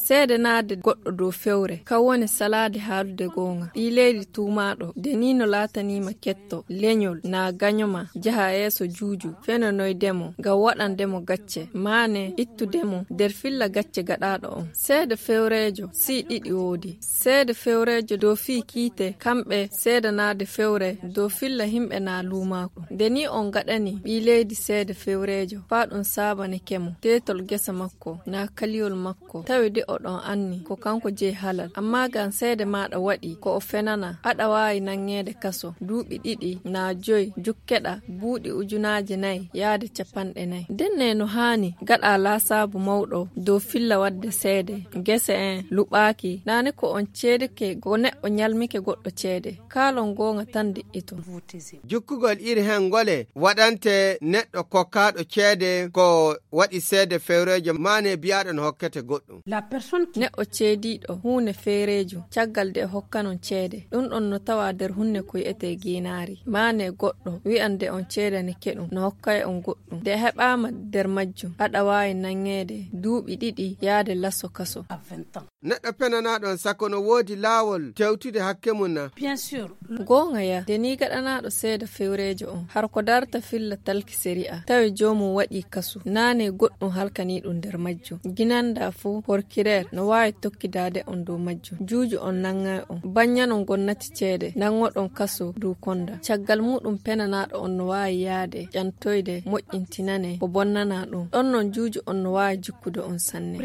seede naade goɗɗo dow fewre ka woni salaade haalude goonga. Ɓii leydi tuumaaɗo de ni no laatanima ketto leñol na ganyoma jaha yeeso juuju fenonoydemo ngam waɗandemo gacce maane ittudemo nder filla gacce gaɗaaɗo on. Seede fewreejo si ɗiɗi woodi. Seede fewreejo dow fii kiite kamɓe seedanaade fewre dow filla himɓe na luumaako. Nde ni on gaɗani ɓii leydi seede fewreejo faa ɗum saabane kemo teetol gesa makko na kaliyol makko tawi de oɗon anni ko kanko je halal, amma ngam seede maɗa waɗi ko o fenana aɗa waawi nanŋeede kaso duuɓi 2 na 5 jukkeɗa buuɗi 4,000 yaade 50,000. Denne no haani gaɗa laasaabu mawɗo dow filla wadde seede gese en luɓaaki naane ko on ceedeke go neɗɗo nyalmike goɗɗo ceede kaalon goonga tan de'ito. Jukkugol iri hen ngole waɗante neɗɗo kokkaaɗo ceede ko waɗi seede fewreejo maane biyaɗo no hokkete goɗɗum. Neɗɗo ceediiɗo huunde feereejo caggal de hokkanon ceede ɗum ɗon no tawa nder hunde ko wi'ete ginaari maane goɗɗo wi'ande on ceedane keɗum no hokkay on goɗɗum de heɓaama nder majjum aɗa waawi nanŋeede duuɓi 2 yaade lasso kaso. Neɗɗo penanaaɗon sako no woodi laawol tewtude hakke mum na? Goonga ya de ni gaɗanaaɗo seeda fewreejo on har ko darta filla talki sari'a tawi joomum waɗi kasu naane goɗɗum halkaniiɗum nder majjum ginanda fuu porkireer no waawi tokkidaade on dow majjum juuju on nanŋay on banyanon gonnati ceede nanŋoɗon kaso dow konda caggal muɗum penanaaɗo on no waawi yaade ƴantoyde moƴƴintinane ko bonnana ɗum ɗon non juuju on no waawi jikkude on sanne.